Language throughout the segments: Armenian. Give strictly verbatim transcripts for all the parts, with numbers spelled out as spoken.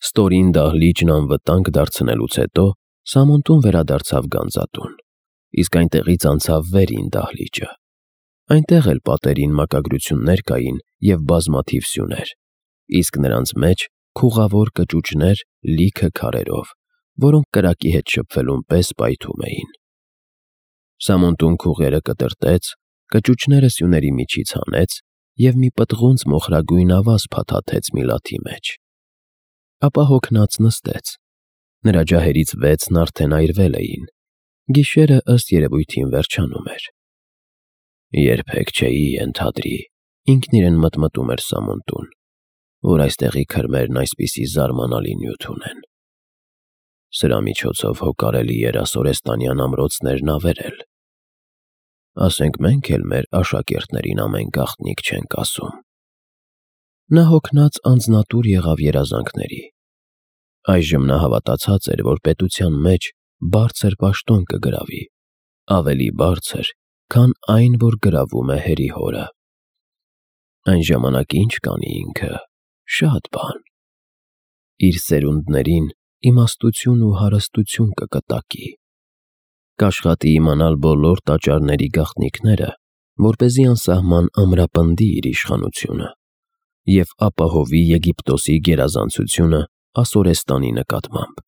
Ստորին դահլիճն անվտանգ դարձնելուց հետո Սամոնտուն վերադարձավ գանձատուն, իսկ այնտեղից անցավ վերին դահլիճը։ Այնտեղ էլ պատերին մակագրություններ կային և բազմաթիվ սյուներ, իսկ նրանց մեջ քուղավոր կճուճներ լիքը քարերով, որոնք կրակի հետ շփվելուն պես պայթում էին։ Սամոնտուն քուղերը կտրտեց, կճուճները սյուների միջից հանեց և մի պտղունց մոխրագույն ավազ փաթաթեց միլաթի մեջ։ Ապա հոգնած նստեց։ Նրա ջահերից վեցն արդեն այրվել էին, գիշերը ըստ երևույթին վերջանում էր։ «Երբեք չէի ենթադրի», ինքն իրեն մտմտում էր Սամոնտուն, «որ այստեղի քրմերն այսպիսի զարմանալի նյութ ունեն։ Սրա միջոցով հո կարելի էր ասորեստանյան ամրոցներն ավերել։ Ասենք մենք էլ մեր աշակերտներին ամեն գաղտնիք չենք ասում»։ Նա հոգնած անձնատուր եղավ երազանքների։ Այժմ նա հավատացած էր, որ պետության մեջ բարձր պաշտոն կգրավի, ավելի բարձր, քան այն, որ գրավում է հերի հորը։ Այն ժամանակ ինչ կանի ինքը, շատ բան։ Իր սերունդներին իմաստություն ու հարստություն կկտակի։ Կաշխատի իմանալ բոլոր տաճարների գաղտնիքները, որպեսզի անսահման ամրապնդի իր իշխանությունը և ապահովի Եգիպտոսի գերազանցությունը Ասորեստանի նկատմամբ։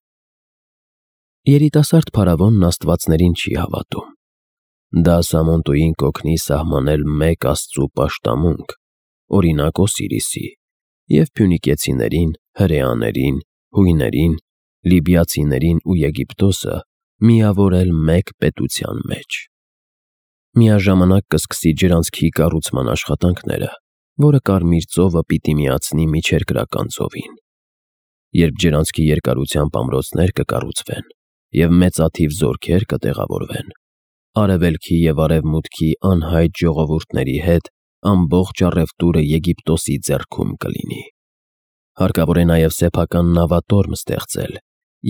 Երիտասարդ փարավոնն աստվածներին չի հավատում։ Դա Սամոնտուին կօգնի սահմանել մեկ Աստծու պաշտամունք, օրինակ Օսիրիսի, և փյունիկեցիներին, հրեաներին, հույներին, լիբիացիներին ու Եգիպտոսը միավորել մեկ պետության մեջ։ Միաժամանակ կսկսի ջրանցքի կառուցման աշխատանքները, որը Կարմիր ծովը պիտի միացնի Միջերկրական ծովին։ Երբ ջրանցքի երկարությամբ ամրոցներ կկառուցվեն և մեծաթիվ զորքեր կտեղավորվեն, արևելքի և արևմուտքի անհայտ ժողովուրդների հետ ամբողջ առևտուրը Եգիպտոսի ձեռքում կլինի։ Հարկավոր է նաև սեփական նավատորմ ստեղծել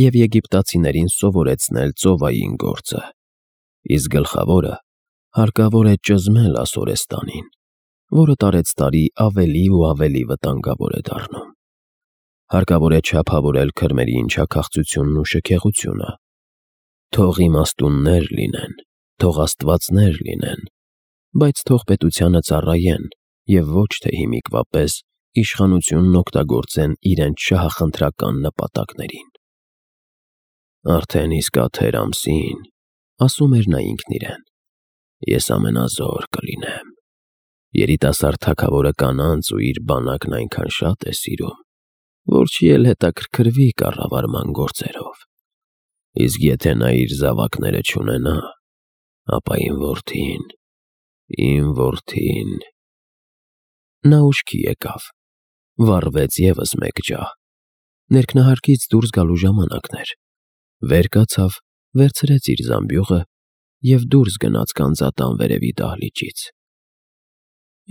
և եգիպտացիներին սովորեցնել ծովային գործը, իսկ գլխավորը հարկավոր է ճզմել Ասորեստանին, որը տարեցտարի ավելի ու ավելի վտանգավոր է դառնում։ Հարկավոր է չափավորել քրմերի ընչաքաղցությունն ու շքեղությունը։ Թող իմաստուններ լինեն, թող աստվածներ լինեն, բայց թող պետությանը ծառայեն և ոչ թե հիմիկվա պես իշխանությունն օգտագործեն իրենց շահախնդրական նպատակներին։ «Արդեն իսկ աթեր ամսին, — ասում էր նա ինքն իրեն, — ես ամենազոր կլինեմ։ Երիտասարդ թագավորը կանանց ու իր բանակն այնքան շատ է սիրում, որ չի էլ հետաքրքրվի կառավարման գործերով։ Իսկ եթե նա իր զավակները չունենա, ապա իմ որդին, իմ որդին…» Նա ուշքի եկավ, վառվեց ևս մեկ ջահ։ Ներքնահարկից դուրս գալու ժամանակն էր։ Վեր կացավ, վերցրեց իր զամբյուղը և դուրս գնաց գանձատան վերևի դահլիճից։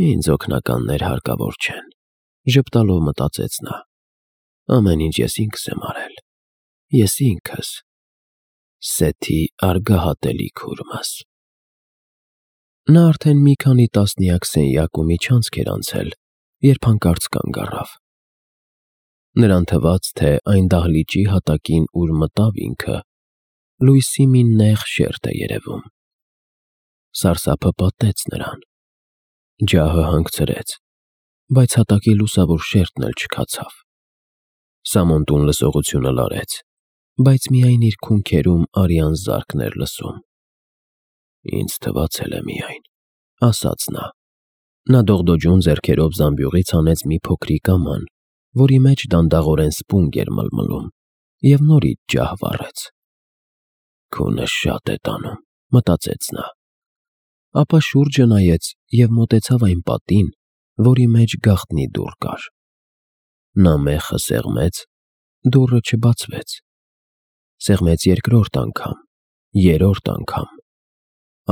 «Ինձ օգնականներ հարկավոր չեն», ժպտալով մտածեց նա։ «Ամեն ինչ ես ինքս եմ արել, ես ինքս, Սեթի արգահատելի քուրմս»։ Նա արդեն մի քանի տասնյակ սենյակ ու միջանցք էր անցել, երբ հանկարծ կանգ առավ։ Նրան թվաց, թե այն դահլիճի հատակին, ուր մտավ ինքը, լույսի մի նեղ շերջ է երևում։ Սարսափը պատեց նրան։ Ջահը հանգցրեց, բայց հատակի լուսավոր շերտն էլ չքացավ։ Սամոնտուն լսողությունը լարեց, բայց միայն իր քունքերում արյան զարկն էր լսում։ «Ինձ թվացել է միայն», — ասաց նա։ Նա դողդոջուն ձեռքերով զամբյուղից հանեց մի փոքրիկ աման, որի մեջ դանդաղորեն սպունգ էր մլմլում, և նորից ջահ վառեց։ «Քունը շատ է տանում», — մտածեց նա։ Ապա շուրջը նայեց և մոտեցավ այն պատին, որի մեջ գաղտնի դուռ կար։ Նա մեխը սեղմեց, դուռը չբացվեց։ Սեղմեց երկրորդ անգամ, երրորդ անգամ,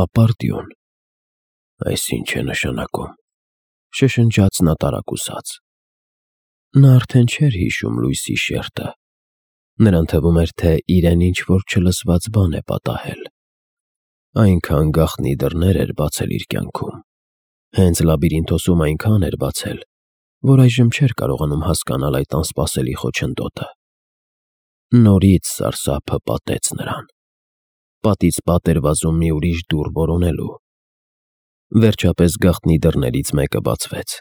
ապարդյուն։ «Այս ի՞նչ է նշանակում», — շշնջաց նա տարակուսած։ Նա արդեն չէր հիշում լույսի շերտը։ Նրան թվում էր, թե իրեն ինչ-որ չլսված բան է պատահել։ Այնքան գաղտնի դռներ էր բացել իր կյանքում, հենց լաբիրինթոսում այնքան էր բացել, որ այժմ չէր կարողանում հասկանալ այդ անսպասելի խոչընդոտը։ Նորից սարսափը պատեց նրան։ Պատից պատ էր վազում մի ուրիշ դուռ որոնելու։ Վերջապես գաղտնի դռներից մեկը բացվեց։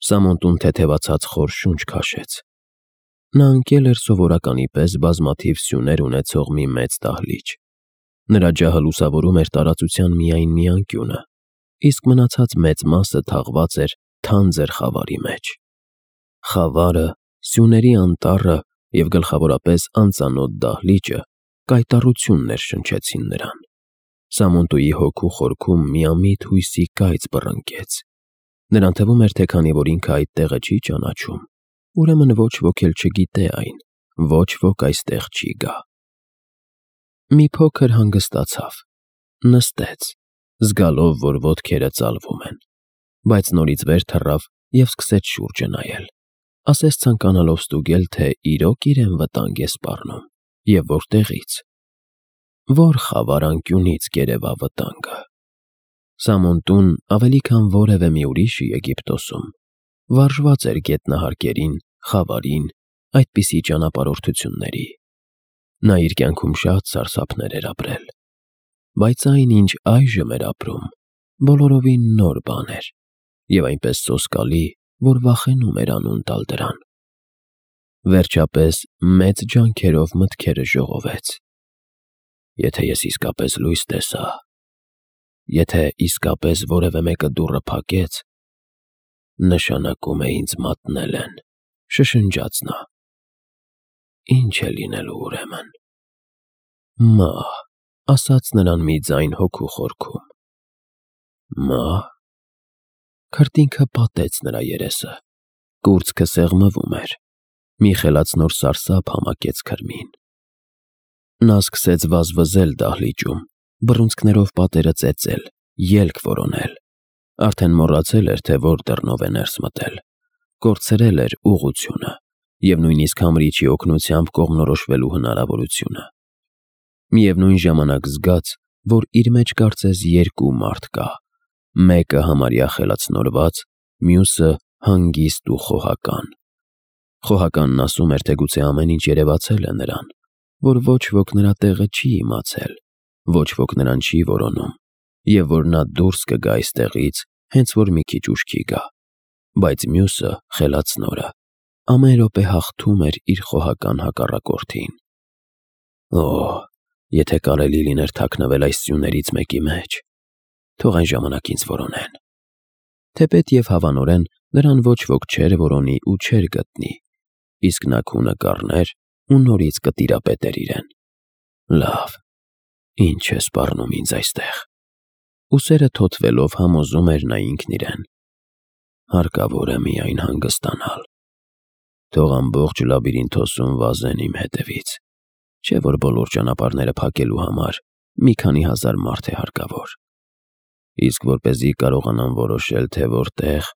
Սամոնտուն թեթևացած խոր շունչ քաշեց։ Նա ընկել էր սովորականի պես բազմաթիվ սյուներ ունեցող մի մեծ դահլիճ։ Նրա ջահը լուսավորում էր տարածության միայն մի անկյունը, իսկ մնացած մեծ մասը թաղված էր թանձր խավարի մեջ։ Խավարը, սյուների անտառը և գլխավորապես անծանոթ դահլիճը կայտառություն ներշնչեցին նրան։ Սամոնտուի հոգու խորքում միամիտ հույսի կայծ բռնկեց։ Նրան թվում էր, թե քանի որ ինքը այդ տեղը չի ճանաչում, ուրեմն ոչ ոք էլ չգիտե այն, ոչ ոք այստեղ չի գա։ Մի փոքր հանգստացավ, նստեց, զգալով, որ ոտքերը ծալվում են, բայց նորից վեր թռավ և սկսեց շուրջը նայել, ասես ցանկանալով ստուգել, թե իրոք իրեն վտանգ է սպառնում և որտեղից։ Որ խավար անկյունից կերևա վտանգը։ Սամոնտուն ավելի քան որևէ մի ուրիշի Եգիպտոսում վարժված էր գետնահարկերին, խավարին, այդպիսի ճանապարհորդությունների։ Նա իր կյանքում շատ սարսափներ էր ապրել, բայց այն, ինչ այժմ էր ապրում, բոլորովին նոր բան էր և այնպես սոսկալի, որ վախենում էր անուն տալ դրան։ Վերջապես մեծ ջանքերով մտքերը ժողովեց. Եթե ես իսկապես լույս տեսա, եթե իսկապես որևէ մեկը դուռը փակեց, նշանակում է ինձ մատնել են, շշնջաց նա։ Ինչ է լինելու ուրեմն։ Մահ, ասաց նրան մի ձայն հոգու խորքում։ Մահ։ Քրտինքը պատեց նրա երեսը, կուրծքը սեղմվում էր, մի խելացնոր սարսափ համակեց քրմին։ Նա սկսեց վազվզել դահլիճում, բռունցքներով պատերը ծեծել, ելք որոնել։ Արդեն մոռացել էր, թե որ դռնով է ներս մտել, կորցրել էր ուղղությունը և նույնիսկ համրիչի օգնությամբ կողմնորոշվելու հնարավորությունը։ Միևնույն ժամանակ զգաց, որ իր մեջ կարծես երկու մարդ կա, մեկը համարյա խելացնորված, մյուսը հանգիստ ու խոհական։ Խոհականն ասում էր, թե գուցե ամեն ինչ երևացել է նրան, որ ոչ ոք նրա տեղը չի իմացել, ոչ ոք նրան չի որոնում, և որ նա դուրս կգա այստեղից, հենց որ մի քիչ ուշքի գա, բայց մյուսը, խելացնորը, ամեն րոպե հաղթում էր իր խոհական հակառակորդին։ Օ՜, եթե կարելի լիներ թաքնվել այս սյուներից մեկի մեջ, թող այն ժամանակ ինձ որոնեն։ Թեպետ և հավանորեն նրան ոչ ոք չէր որոնի ու չէր գտնի, իսկ նա քունը կառներ ու նորից կտիրապետեր իրեն։ Լավ, ինչ է սպառնում ինձ այստեղ։ Ուսերը թոթվելով համոզում էր նա ինքն իրեն։ Հարկավոր է միայն հանգստանալ։ Թող ամբողջ լաբիրինթոսում վազեն իմ հետևից, չէ որ բոլոր ճանապարհները փակելու համար մի քանի հազար մարդ է հարկավոր։ Իսկ որպեսզի կարողանամ որոշել, թե որտեղ,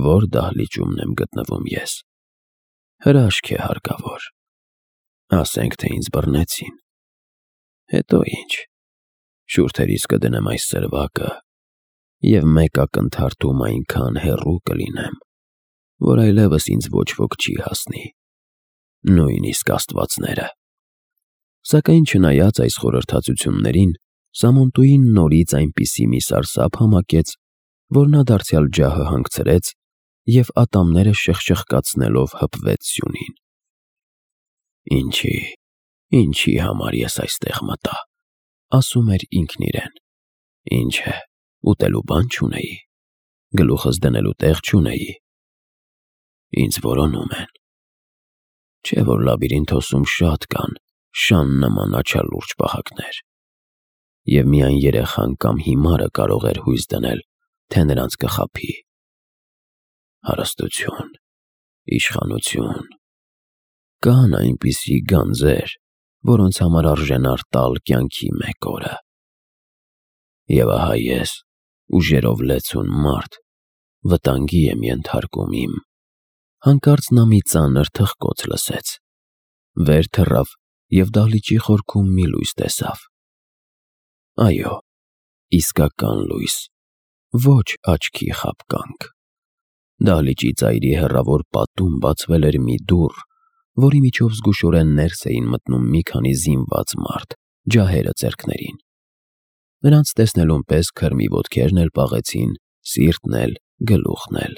որ դահլիճումն եմ գտնվում ես, հրաշք է հարկավոր։ Ասենք, թե ինձ բռնեցին։ Հետո ինչ, շուրթերիս կդնեմ այս սրվակը և մեկ ակնթարթում այնքան հեռու կլինեմ, որ այլևս ինձ ոչ ոք չի հասնի, նույնիսկ աստվածները։ Սակայն չնայած այս խորհրդածություններին, Սամոնտուին նորից այնպիսի մի սարսափ համակեց, որ նա դարձյալ ջահը հանգցրեց և ատամները շխշխկացնելով հպվեց սյունին։ Ինչի, ինչի համար ես այստեղ մտա, ասում էր ինքն իրեն։ Ինչ է, ուտելու բան չունեի, գլուխս դնելու տեղ չունեի։ Ինձ որոնում են։ Չէ որ լաբիրինթոսում շատ կան շան նման աչալուրջ պահակներ, և միայն երեխան կամ հիմարը կարող էր հույս դնել, թե նրանց կխաբի։ Հարստություն, իշխանություն, կան այնպիսի գանձեր, որոնց համար արժենար տալ կյանքի մեկ օրը։ Եվ ահա ես, ուժերով լեցուն մարդ, վտանգի եմ ենթարկում իմ։ Հանկարծ նա մի ծանր թխկոց լսեց, վեր թռավ և դահլիճի խորքում մի լույս տեսավ։ Այո, իսկական լույս, ոչ աչքի խաբկանք։ Դահլիճի ծայրի հեռավոր պատում բացվել էր մի դուռ, որի միջով զգուշորեն ներս էին մտնում մի քանի զինված մարդ, ջահերը ձեռքներին։ Նրանց տեսնելուն պես քրմի ոտքերն էլ պաղեցին, սիրտն էլ, գլուխն էլ։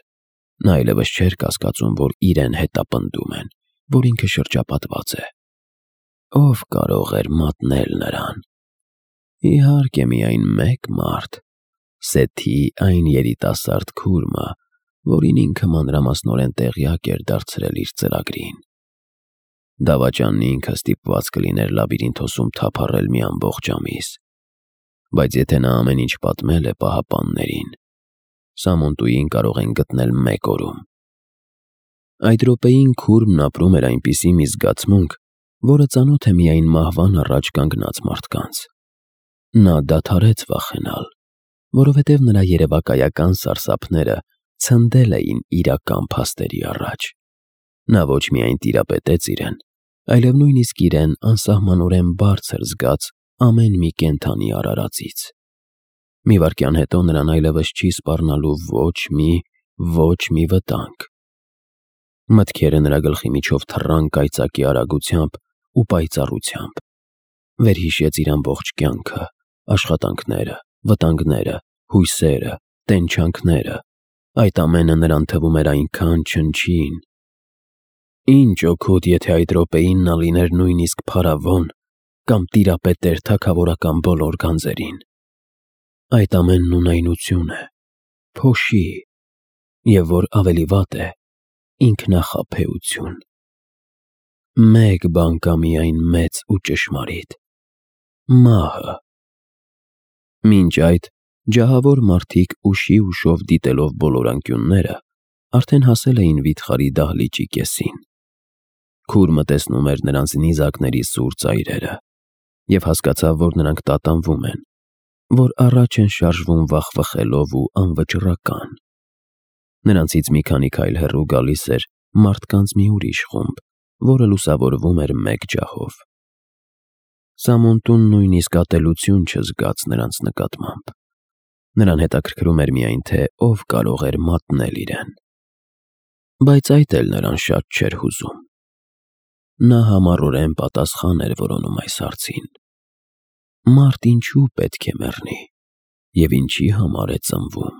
Նա այլևս չէր կասկածում, որ իրեն հետապնդում են, որ ինքը շրջապատված է։ Ով կարող էր մատնել նրան։ Իհարկե միայն մեկ մարդ, Սեթի այն երիտասարդ քուրմը, որին ինքը մանրամասնորեն տեղյակ էր դարձրել իր ծրագրին։ Դավաճանն ինքը ստիպված կլիներ լաբիրինթոսում թափառել մի ամբողջ ամիս, բայց եթե նա ամեն ինչ պատմել է պահապաններին, Սամոնտուին կարող են գտնել մեկ օրում։ Այդ րոպեին քուրմն ապրում էր այնպիսի մի զգացմունք, որը ծանոթ է միայն մահվան առաջ կանգնած մարդկանց։ Նա դադարեց վախենալ, որովհետև նրա երևակայական սարսափները ցնդել էին իրական փաստերի առաջ։ Նա ոչ միայն տիրապետեց իրեն, այլև նույնիսկ իրեն անսահմանորեն բարձր զգաց ամեն մի կենդանի արարածից։ Մի վայրկյան հետո նրան այլևս չի սպառնալու ոչ մի, ոչ մի վտանգ։ Մտքերը նրա գլխի միջով թռան կայծակի արագությամբ ու պայծառությամբ։ Վերհիշեց իր ամբողջ կյանքը, աշխատանքները, վտանգները, հույսերը, տենչանքները։ Այդ ամենը նրան թվում էր այնքան չնչին։ Ինչ օգուտ, եթե այդ րոպեին նա լիներ նույնիսկ փարավոն կամ տիրապետեր թագավորական բոլոր գանձերին։ Այդ ամենն ունայնություն է, փոշի, և որ ավելի վատ է, ինքնախաբեություն։ Մեկ բան կա միայն մեծ ու ճշմարիտ՝ մահը։ Մինչ այդ ջահավոր մարդիկ ուշի ուշով դիտելով բոլոր անկյունները, արդեն հասել էին վիթխարի դահլիճի կեսին։ Քուրմը տեսնում էր նրանց նիզակների սուր ծայրերը և հասկացավ, որ նրանք տատանվում են, որ առաջ են շարժվում վախվխելով ու անվճռական։ Նրանցից մի քանի քայլ հեռու գալիս էր մարդկանց մի ուրիշ խումբ, որը լուսավորվում էր մեկ ջահով։ Սամոնտուն նույնիսկ ատելություն չզգաց նրանց նկատմամբ։ Նրան հետաքրքրում էր միայն, թե ով կարող էր մատնել իրեն։ Բայց այդ էլ նրան շատ չէր հուզում։ Նա համառորեն պատասխան էր որոնում այս հարցին։ Մարդ ինչու պետք է մեռնի և ինչի համար է ծնվում։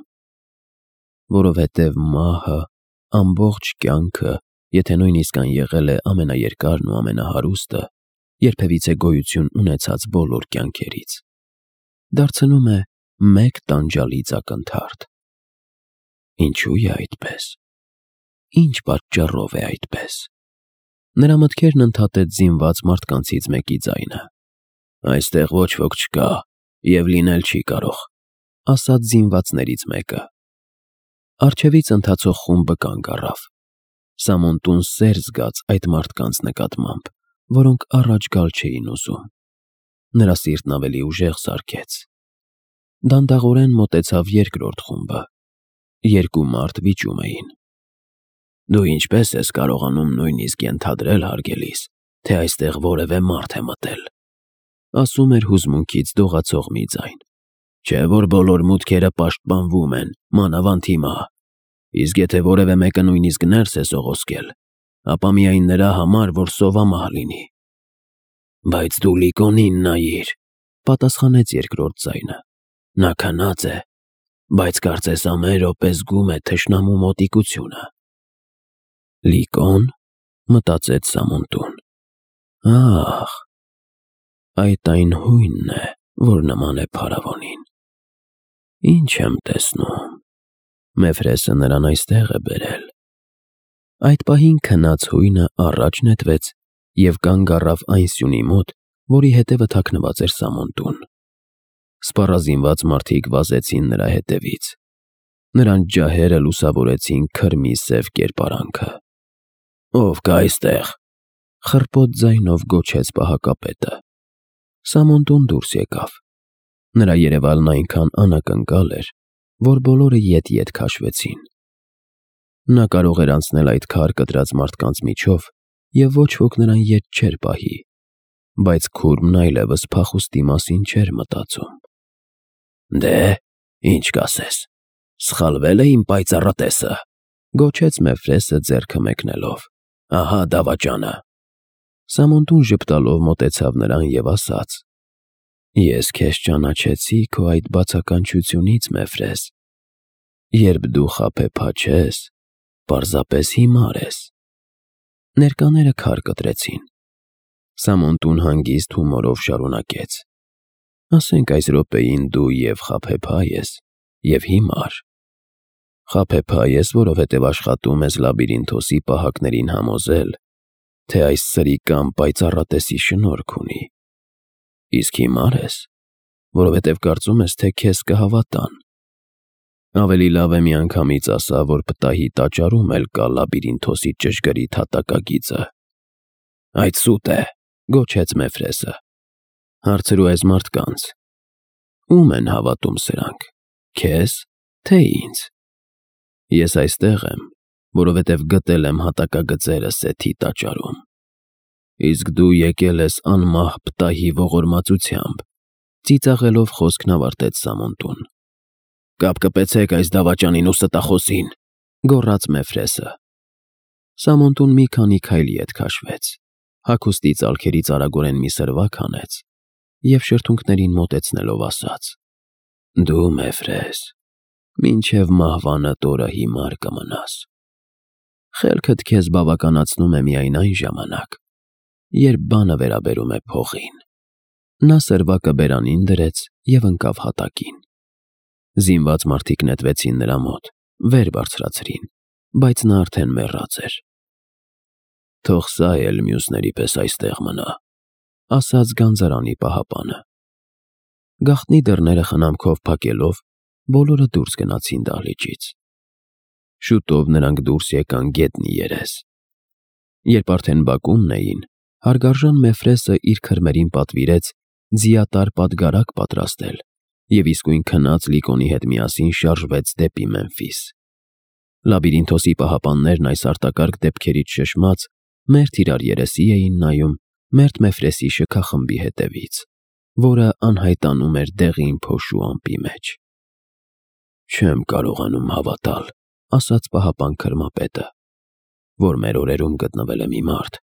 Որովհետև մահը, ամբողջ կյանքը, եթե նույնիսկ այն եղել է ամենաերկարն ու ամենահարուստը, երբևիցե գոյություն ունեցած բոլոր կյանքերից, դարձնում է մեկ տանջալից ակնթարթ։ Ինչու է այդպես։ Ինչ պատճառով է այդպես։ Նրա մտքերն ընդհատեց զինված մարդկանցից մեկի ձայնը։ Այստեղ ոչ ոք չկա և լինել չի կարող, ասաց զինվածներից մեկը։ Առջևից ընթացող խումբը կանգ առավ։ Սամոնտուն սեր զգաց այդ մարդկանց նկատմամբ, որոնք առաջ գալ չէին ուզում։ Նրա սիրտն ավելի ուժեղ սարքեց։ Դանդաղորեն մոտեցավ երկրորդ խումբը։ Երկու մարդ վիճում էին։ Դու ինչպես ես կարողանում նույնիսկ ենթադրել, հարգելիս, թե այստեղ որևէ մարդ է մտել, ասում էր հուզմունքից դողացող մի ձայն։ Չէ՞ որ բոլոր մուտքերը պաշտպանվում են, մանավանդ հիմա, իսկ եթե որևէ մեկը նույնիսկ ներս է սողոսկել, ապա միայն նրա համար, որ սովամահ լինի։ Բայց դու Լիկոնին նայիր, պատասխանեց երկրորդ ձայնը։ Նա քնած է, բայց կարծես ամեն րոպե զգում է թշնամու մոտիկությունը։ Լիկոն, մտածեց Սամոնտուն։ Ահ, այդ այն հույնն է, որ նման է փարավոնին։ Ինչ եմ տեսնում։ Մեֆրեսը նրան այստեղ է բերել։ Այդ պահին քնած հույնը առաջ նետվեց և կանգ առավ այն սյունի մոտ, որի հետևը թաքնված էր Սամոնտուն։ Սպառազինված մարդիկ վազեցին նրա հետևից։ Նրանց ջահերը լուսավորեցին քրմի սև կերպարանքը։ Ո՞վ կա այստեղ, խռպոտ ձայնով գոչեց պահակապետը։ Սամոնտուն դուրս եկավ։ Նրա երևալն այնքան անակնկալ էր, որ բոլորը ետ-ետ քաշվեցին։ Նա կարող էր անցնել այդ քար կտրած մարդկանց միջով, և ոչ ոք նրան ետ չէր պահի, բայց քուրմն այլևս փախուստի մասին չէր մտածում։ Դե, ինչ կասես, սխալվե՞լ է իմ պայծառատեսը, գոչեց Մեֆրեսը ձեռքը մեկնելով։ Ահա դավաճանը։ Սամոնտուն ժպտալով մոտեցավ նրան և ասաց. «Ես քեզ ճանաչեցի քո այդ բացականչությունից, Մեֆրես։ Երբ դու խաբեբա չես, պարզապես հիմար ես»։ Ներկաները քար կտրեցին։ Սամոնտուն հանգիստ հումորով շարունակեց. «Ասենք այս րոպեին դու և խաբեբա ես, և հիմար։ Խաբեբա ես, որովհետև աշխատում ես Լաբիրինթոսի պահակներին համոզել, թե այս սրի կամ պայծառատեսի շնորհք ունի։ Իսկ հիմար ես, որովհետև կարծում ես, թե քեզ կհավատան։ Ավելի լավ է միանգամից ասա, որ պտահի տաճարում էլ կա Լաբիրինթոսի ճշգրիտ հատակագիծը»։ «Այդ սուտ է», գոչեց Մեֆրեսը։ «Հարցրու այս մարդկանց. ո՞ւմ են հավատում սրանք, քեզ, թե ինձ։ Ես այստեղ եմ, որովհետև գտել եմ հատակագծերը Սեթի տաճարում։ Իսկ դու եկել ես անմահ պտահի ողորմածությամբ», ծիծաղելով խոսքն ավարտեց Սամոնտուն։ «Կապ կպեցեք այս դավաճանին ու ստախոսին», գոռաց Մեֆրեսը։ Սամոնտուն մի քանի քայլ ետ քաշվեց, հագուստի ծալքերից արագորեն մի սրվակ հանեց և շրթունքներին մոտեցնելով ասաց. «Դու, Մեֆրես, մինչև մահվանդ օրը հիմար կմնաս։ Խելքդ քեզ բավականացնում է միայն այն ժամանակ, երբ բանը վերաբերում է փողին»։ Նա սրվակը բերանին դրեց և ընկավ հատակին։ Զինված մարդիկ նետվեցին նրա մոտ, վեր բարձրացրին, բայց նա արդեն մեռած էր։ «Թող սա էլ մյուսների պես այստեղ մնա», ասաց գանձարանի պահապանը։ Գաղտնի դռները խնամքով փակելով, բոլորը դուրս գնացին դահլիճից։ Շուտով նրանք դուրս եկան գետնի երես։ Երբ արդեն բակումն էին, հարգարժան Մեֆրեսը իր քրմերին պատվիրեց ձիատար պատգարակ պատրաստել և իսկույն քնած Լիկոնի հետ միասին շարժվեց դեպի Մեմֆիս։ Լաբիրինթոսի պահապաններն այս արտակարգ դեպքերից շշմած մերթ իրար երեսի էին նայում մերթ Մեֆրեսի շքախմբի հետևից, որը անհայտանում էր դեղին փոշու ամպի մեջ։ «Չեմ կարողանում հավատալ», ասաց պահապան քրմապետը, «որ մեր օրերում գտնվել է մի մարդ,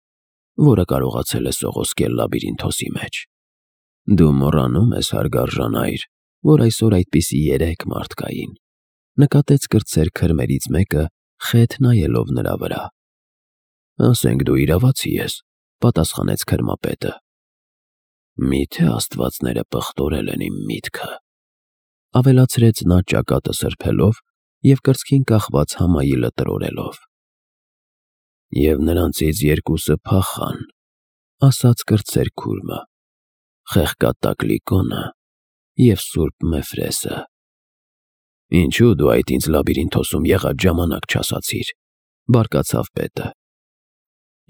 որը կարողացել է սողոսկել Լաբիրինթոսի մեջ։ Դու մոռանում ես, հարգարժան այր, որ այսօր այդպիսի երեք մարդ կային», նկատեց կրտսեր քրմերից մեկը, խեթ նայելով նրա վրա։ «Ասենք դու իրավացի ես», պատասխանեց քրմապետը։ «Միթե աստվածները պղտորել են իմ միտքը», ավելացրեց նա ճակատը սրբելով և կրծքին կախված համայիլը տրորելով։ «Եվ նրանցից երկուսը փախան», ասաց կրտսեր քուրմը, «Խեղկատակ Լիկոնը և սուրբ Մեֆրեսը»։ «Ինչու դու այդ ինձ Լաբիրինթոսում եղած ժամանակ չասացիր», բարկացավ պետը։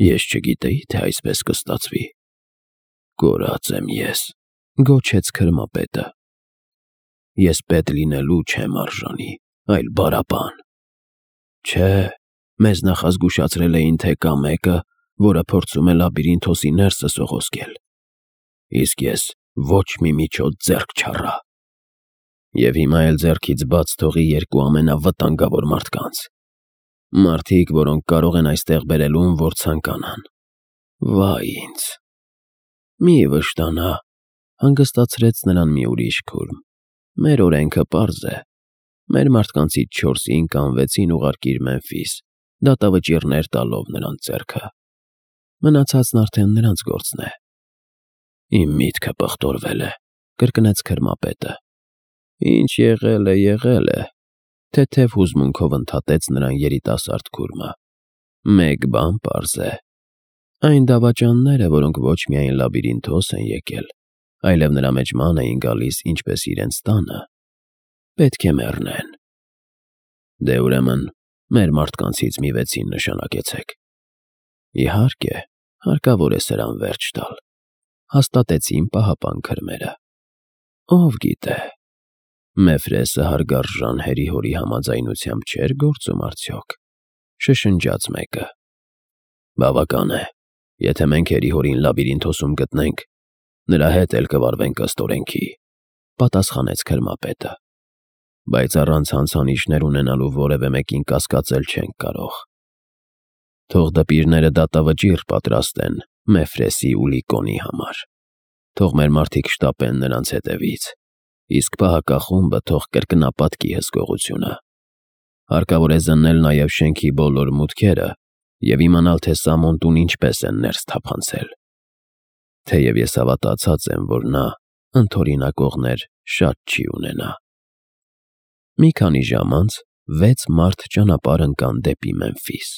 «Ես չգիտեի, թե այսպես կստացվի»։ «Կորած եմ ես», գոչեց քրմապետը։ «Ես պետ լինելու չեմ արժանի, այլ բարաբան։ Չէ, մեզ նախազգուշացրել էին, թե կա մեկը, որը փորձում է Լաբիրինթոսի ներսը սողոսկել, իսկ ես ոչ մի միջոց ձեռք չառա։ Եվ հիմա էլ ձեռքից բաց թողի երկու ամենավտանգավոր մարդկանց, մարդիկ, որոնք կարող են այստեղ բերել ում որ ցանկանան։ Վայ ինձ»։ «Մի վշտանա», հանգստացրեց նրան մի ուրիշ քուրմ, «մեր օրենքը պարզ է. մեր մարդկանցից չորսին կամ վեցին ուղարկիր Մեմֆիս, դատավճիռներ տալով նրանց ձեռքը։ Մնացածն արդեն նրանց գործն է»։ «Իմ միտքը պղտորվել է», կրկնեց քրմապետը։ «Ինչ եղել է, եղել է», թեթև հուզմունքով ընդհատեց նրան երիտասարդ քուրմը։ «Մեկ բան պարզ է. այն դավաճանները, որոնք ոչ միայն Լաբիրինթոս են եկել, այլև նրա մեջ ման էին գալիս ինչպես իրենց տանը, պետք է մեռնեն։ Դե ուրեմն մեր մարդկանցից մի վեցին նշանակեցեք»։ «Իհարկե, հարկավոր է սրան վերջ տալ», հաստատեցին պահապան քրմերը։ «Ով գիտե, Մեֆրեսը հարգարժան հերի-հորի համաձայնությամբ չէր գործում արդյոք», շշնջաց մեկը։ «Բավական է, եթե մենք հերի-հորին Լաբիրինթոսում գտնենք, նրա հետ էլ կվարվենք ըստ օրենքի», պատասխանեց քրմապետը։ «Բայց առանց հանցանիշներ ունենալու որևէ մեկին կասկածել չենք կարող։ Թող դպիրները դատավճիռ պատրաստեն Մեֆրեսի ու Լիկոնի համար։ Թող մեր մարդիկ շտապեն նրանց հետևից, իսկ պահակախումբը թող կրկնապատկի հսկողությունը։ Հարկավոր է զննել նաև շենքի բոլոր մուտքերը և իմանալ, թե Սամոն տուն ինչպես են ներս թափանցել։ Թեև ես հավատացած եմ, որ նա ընդօրինակողներ շատ չի ունենա։ Մի քանի ժամ անց վեց մարդ ճանապարհ ընկան դեպի Մեմֆիս։